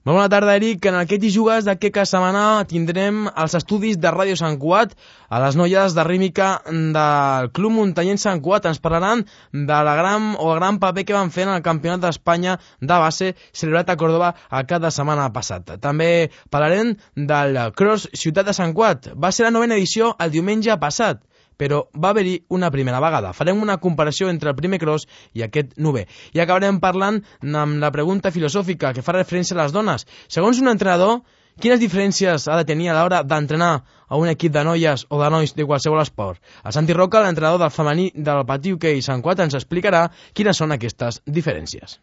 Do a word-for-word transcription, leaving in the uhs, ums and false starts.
Molt bona tarda, Eric. En aquest Hi jugues d'aquesta setmana tindrem els estudis de Ràdio Sant Cugat. A les noies de rítmica del Club Muntanyenc Sant Cugat ens parlaran de la gran o el gran paper que van fer en el Campionat d'Espanya de base celebrat a Córdoba el cap de setmana passat. També parlarem del Cross Ciutat de Sant Cugat. Va ser la novena edició el diumenge passat, però va haver-hi una primera vegada. Farem una comparació entre el primer cross i aquest novè. I acabarem parlant amb la pregunta filosòfica que fa referència a les dones. Segons un entrenador, quines diferències ha de tenir a l'hora d'entrenar a un equip de noies o de nois de qualsevol esport? El Santi Roca, l'entrenador del femení del Patí Hoquei Sant Cugat, ens explicarà quines són aquestes diferències.